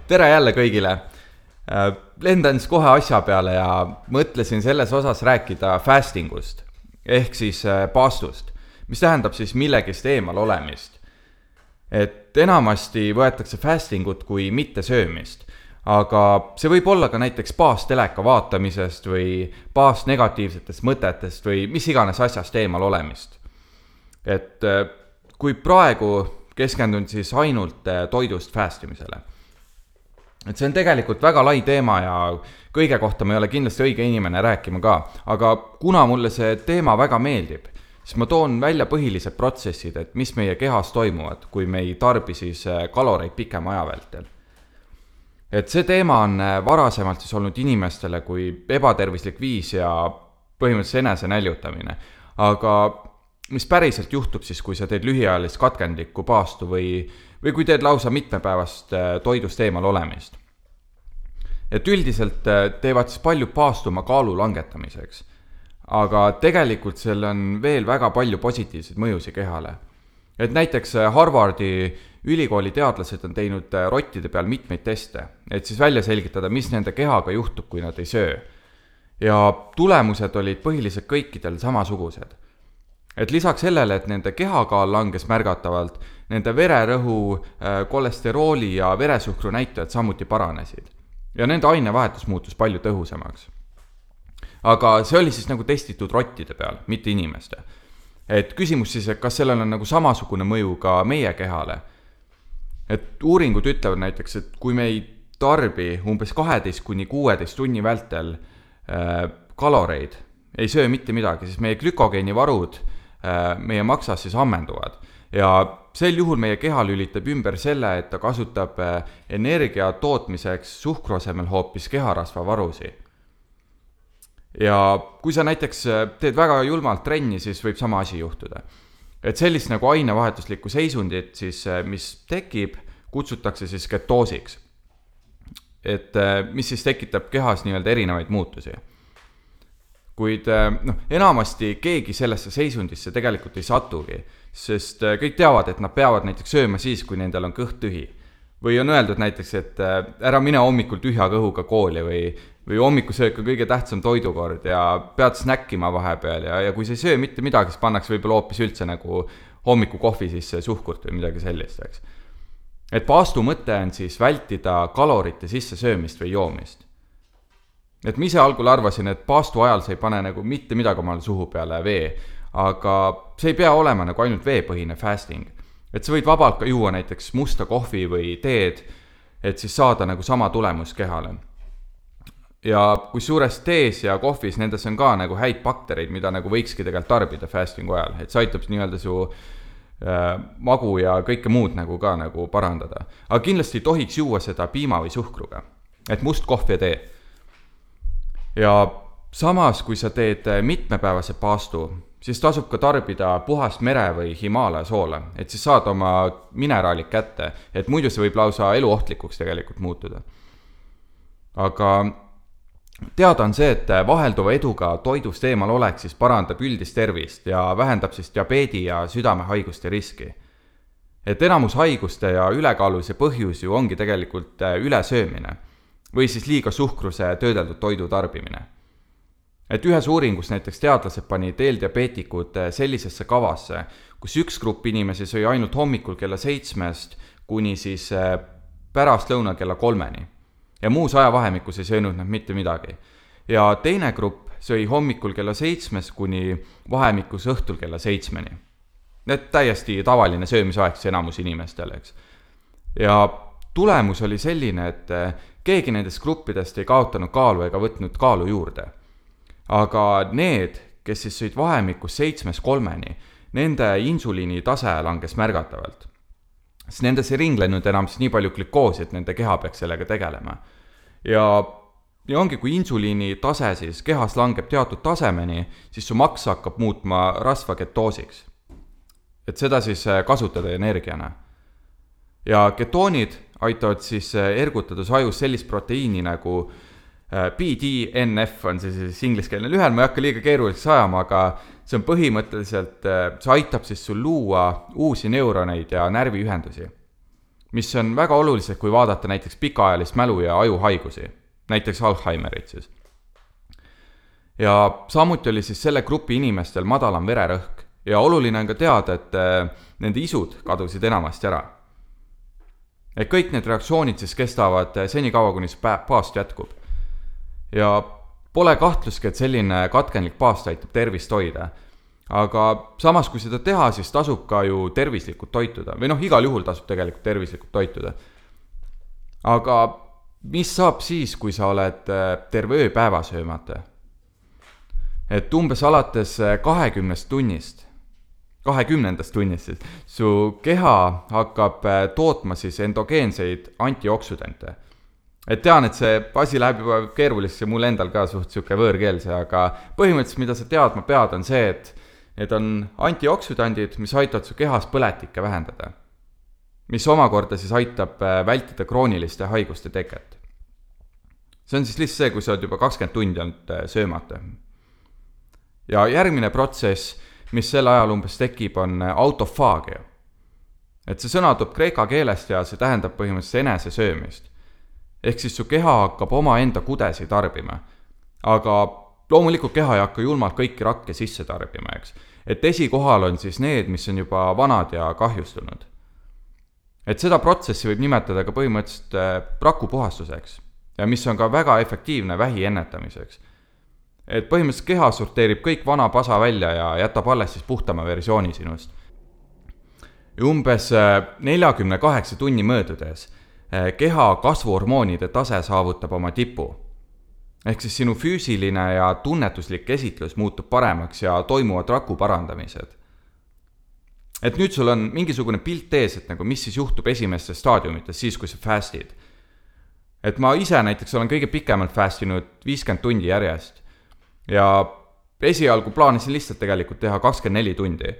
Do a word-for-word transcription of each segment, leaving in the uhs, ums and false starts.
Tere jälle kõigile. Lendan siis kohe asja peale ja mõtlesin selles osas rääkida fastingust, ehk siis paastust, mis tähendab siis millegist eemal olemist. Et enamasti võetakse fastingut kui mitte söömist, aga see võib olla ka näiteks paast teleka vaatamisest või paast negatiivsetest mõtetest või mis iganes asjast eemal olemist. Et kui praegu keskendun siis ainult toidust fastimisele. Et see on tegelikult väga lai teema ja kõige kohta ma ei ole kindlasti õige inimene rääkima ka, aga kuna mulle see teema väga meeldib, siis ma toon välja põhilised protsessid, et mis meie kehas toimuvad, kui me ei tarbi siis kaloreid pikema aja vältel. Et see teema on varasemalt siis olnud inimestele kui ebatervislik viis ja põhimõtteliselt enese näljutamine, aga mis päriselt juhtub siis, kui sa teed lühiajalist katkendlikku paastu või, või kui teed lausa mitmepäevast toidust eemal olemist. Et üldiselt teevad siis palju paastu oma kaalu langetamiseks, aga tegelikult seal on veel väga palju positiivseid mõjusi kehale. Et näiteks Harvardi ülikooli teadlased on teinud rottide peal mitmeid teste, et siis välja selgitada, mis nende kehaga juhtub, kui nad ei söö. Ja tulemused olid põhiliselt kõikidel samasugused. Et lisaks sellele, et nende kehakaal langes märgatavalt, nende vererõhu, kolesterooli ja veresuhkru näitajad samuti paranesid. Ja nende ainevahetus muutus palju tõhusamaks. Aga see oli siis nagu testitud rottide peal, mitte inimeste. Et küsimus siis, et kas sellel on nagu samasugune mõju ka meie kehale. Et uuringud ütlevad näiteks, et kui me ei tarbi umbes kaheteist kuni kuueteist tunni vältel äh, kaloreid, ei söö mitte midagi, siis meie glükogeeni varud meie maksas siis ammenduvad. Ja sel juhul meie keha lülitab ümber selle, et ta kasutab energia tootmiseks suhkru asemel hoopis keharasva varusi. Ja kui sa näiteks teed väga julmalt trenni, siis võib sama asi juhtuda. Et sellist nagu ainevahetuslikku seisundit, siis, mis tekib, kutsutakse siis ketoosiks. Et mis siis tekitab kehas nii-öelda erinevaid muutusi. Kuid no, enamasti keegi sellesse seisundisse tegelikult ei satugi, sest kõik teavad, et nad peavad näiteks sööma siis, kui nendel on kõht tühi. Või on öeldud näiteks, et ära mine hommikul tühja kõhuga kooli või, või hommikusöök on kõige tähtsam toidukord ja pead snäkkima vahepeal ja, ja kui sa ei söö mitte midagi, siis pannakse võib-olla hoopis üldse nagu hommiku kohvi sisse suhkurt või midagi sellist. Eks. Et paastu mõte on siis vältida kalorite sisse söömist või joomist. Et ma ise algul arvasin, et paastu ajal sa ei pane nagu mitte midagi omale suhu peale vee, aga see ei pea olema nagu ainult veepõhine fasting. Et sa võid vabalt ka juua näiteks musta kohvi või teed, et siis saada nagu sama tulemus kehale. Ja kui suures tees ja kohvis nendes on ka nagu häid baktereid, mida nagu võikski tegelikult tarbida fastingu ajal, et see aitab nii-öelda su äh, magu ja kõike muud nagu ka nagu parandada. Aga kindlasti ei tohiks juua seda piima või suhkruga, et must kohv ja tee. Ja samas, kui sa teed mitmepäevase paastu, siis tasub ka tarbida puhast mere või Himaalaja soola, et siis saad oma mineraalid kätte, et muidu see võib lausa eluohtlikuks tegelikult muutuda. Aga teada on see, et vahelduva eduga toidust eemal oleks, siis parandab üldist tervist ja vähendab siis diabeedi ja südamehaiguste riski. Et enamus haiguste ja ülekaaluse põhjus ju ongi tegelikult ülesöömine või siis liiga suhkruse töödeldud toidu tarbimine. Et ühes uuringus näiteks teadlased panid eeldiabeetikud sellisesse kavasse, kus üks grupp inimesi sõi ainult hommikul kella seitsmest kuni siis pärast lõuna kella kolmeni. Ja muus ajavahemikus ei söönud nad mitte midagi. Ja teine grupp sõi hommikul kella seitsmest kuni vahemikus õhtul kella seitsmeni. Need täiesti tavaline söömisaeg enamus inimestele, eks. Ja tulemus oli selline, et keegi nendest gruppidest ei kaotanud kaalu ega võtnud kaalu juurde. Aga need, kes siis sõid vahemikus seitsmest kolmeni, nende insuliini tase langes märgatavalt. Sest nendes ei ringlenud enam siis nii palju glükoosi, et nende keha peaks sellega tegelema. Ja, ja ongi, kui insuliini tase siis kehas langeb teatud tasemeni, siis su maks hakkab muutma rasva ketoosiks. Et seda siis kasutada energiana. Ja ketoonid aitavad siis ergutada su ajus sellist proteiini nagu B D N F on see siis ingliskeelne lühend, ma ei hakka liiga keeruliseks ajama, aga see on põhimõtteliselt, see aitab siis sul luua uusi neuroneid ja närviühendusi. mis on väga olulised, kui vaadata näiteks pikaajalist mälu ja ajuhaigusi, näiteks Alzheimerit siis. Ja samuti oli siis selle grupi inimestel madalam vererõhk ja oluline on ka teada, et nende isud kadusid enamasti ära. Et kõik need reaktsioonid siis kestavad senikaua, kuni see paast jätkub. Ja pole kahtluski, et selline katkenlik paast aitab tervist hoida. Aga samas, kui seda teha, siis tasub ka ju tervislikult toituda. Või noh, igal juhul tasub tegelikult tervislikult toituda. Aga mis saab siis, kui sa oled terve öö päeva söömata? Et umbes alates kahekümnest tunnist, kahekümnendast tunnist siis, su keha hakkab tootma siis endogeenseid antioksüdante. Et tean, et see asi läheb juba keeruliseks ja mul endal ka suht siuke võõrkeelse, aga põhimõtteliselt, mida sa teadma pead, on see, et need on antioksüdandid, mis aitavad su kehas põletikke vähendada, mis omakorda siis aitab vältida krooniliste haiguste teket. See on siis lihtsalt see, kui sa oled juba kakskümmend tundi olnud söömata. Ja järgmine protsess, mis sel ajal umbes tekib, on autofaagia. Et see sõna tuleb kreeka keelest ja see tähendab põhimõtteliselt enese söömist. Ehk siis su keha hakkab oma enda kudesi tarbima. Aga loomulikult keha ei hakka julmalt kõiki rakke sisse tarbima, eks. Et esikohal on siis need, mis on juba vanad ja kahjustunud. Et seda protsessi võib nimetada ka põhimõtteliselt rakupuhastuseks ja mis on ka väga efektiivne vähi ennetamiseks. Et põhimõtteliselt keha sorteerib kõik vana pasa välja ja jätab alles siis puhtama versiooni sinust. Ja umbes neljakümne kaheksa tunni möödudes keha kasvuhormoonide tase saavutab oma tipu. Ehk siis sinu füüsiline ja tunnetuslik esitlus muutub paremaks ja toimuvad raku parandamised. Et nüüd sul on mingisugune pilt ees, et nagu mis siis juhtub esimestes staadiumites siis, kui sa fastid. Et ma ise näiteks olen kõige pikemalt fastinud viiskümmend tundi järjest. Ja esialgu plaanisin lihtsalt tegelikult teha kakskümmend neli tundi.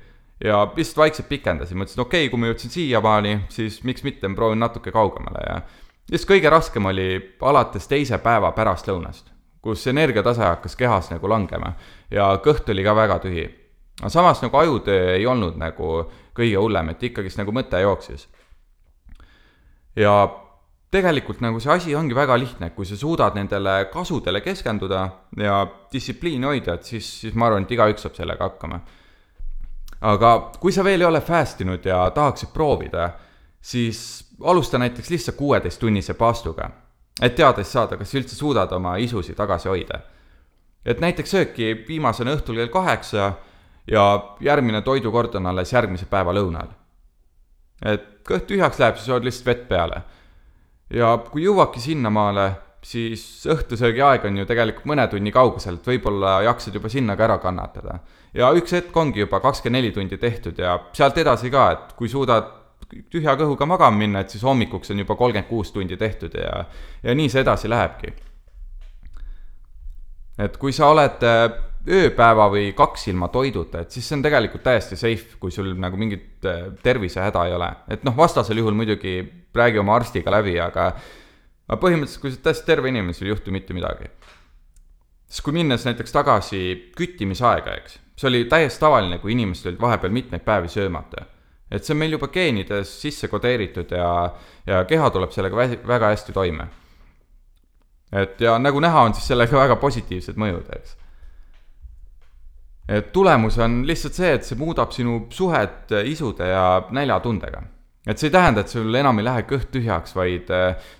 Ja lihtsalt vaikselt pikendasin, mõtlesin, okei, okay, kui ma jõudsin siia maani, siis miks mitte ma proovin natuke kaugemale. Ja just kõige raskem oli alates teise päeva pärast lõunast, kus energiatase hakkas kehas nagu langema ja kõht oli ka väga tühi. Aga samas nagu ajutöö ei olnud nagu kõige hullem, et ikkagist nagu mõte jooksis. Ja tegelikult nagu see asi ongi väga lihtne, kui sa suudad nendele kasudele keskenduda ja distsipliini hoida, et siis, siis ma arvan, et igaüks saab sellega hakkama. Aga kui sa veel ei ole fastinud ja tahaksid proovida, siis alusta näiteks lihtsalt kuueteist tunnise paastuga, et teades saada, kas üldse suudad oma isusi tagasi hoida. Et näiteks sööki viimasena õhtul kell kaheksa ja järgmine toidukord on alles järgmise päeva lõunal. Et kõht tühjaks läheb, siis oled lihtsalt vett peale. Ja kui jõuabki sinna maale, siis õhtusöögi aeg on ju tegelikult mõne tunni kaugusel, et võib-olla jaksad juba sinna ka ära kannatada. Ja üks hetk ongi juba kakskümmend neli tundi tehtud ja sealt edasi ka, et kui suudad tühja kõhuga magama minna, et siis hommikuks on juba kolmkümmend kuus tundi tehtud ja, ja nii see edasi lähebki. Et kui sa oled ööpäeva või kaks ilma toiduta, et siis see on tegelikult täiesti safe, kui sul nagu mingit tervise häda ei ole. Et noh, vastasel juhul muidugi räägi oma arstiga läbi, aga põhimõtteliselt, kui sa täiesti terve inimene, sul ei juhtu mitte midagi. Siis kui minnes näiteks tagasi küttimisaega, eks, see oli täiesti tavaline, kui inimesed olid vahepeal mitmeid päevi söömata. Et see on meil juba geenides sisse kodeeritud ja, ja keha tuleb sellega väga hästi toime. Et ja nagu näha on siis sellega väga positiivsed mõjud, eks. Et tulemus on lihtsalt see, et see muudab sinu suhet isude ja näljatundega. Et see ei tähenda, et sul enam ei lähe kõht tühjaks, vaid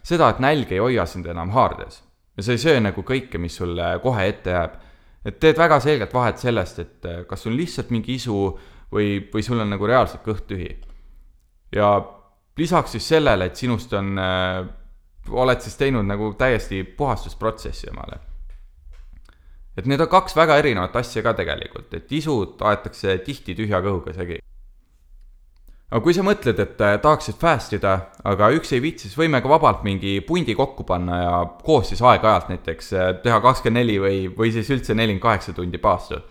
seda, et nälg ei hoia sind enam haardes. Ja sa ei söö nagu kõike, mis sulle kohe ette jääb. Et teed väga selgelt vahet sellest, et kas on lihtsalt mingi isu või, või sul on nagu reaalselt kõht tühi. Ja lisaks siis sellele, et sinust on, oled siis teinud nagu täiesti puhastusprotsessi omale. Et need on kaks väga erinevat asja ka tegelikult, et isud aetakse tihti tühja kõhuga segi. Aga kui sa mõtled, et tahaksid fastida, aga üks ei viitsi, siis võime ka vabalt mingi pundi kokku panna ja koos siis aeg-ajalt näiteks teha kakskümmend neli või, või siis üldse nelikümmend kaheksa tundi paastu.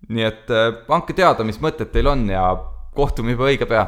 Nii et andke teada, mis mõtted teil on ja kohtume juba õige pea.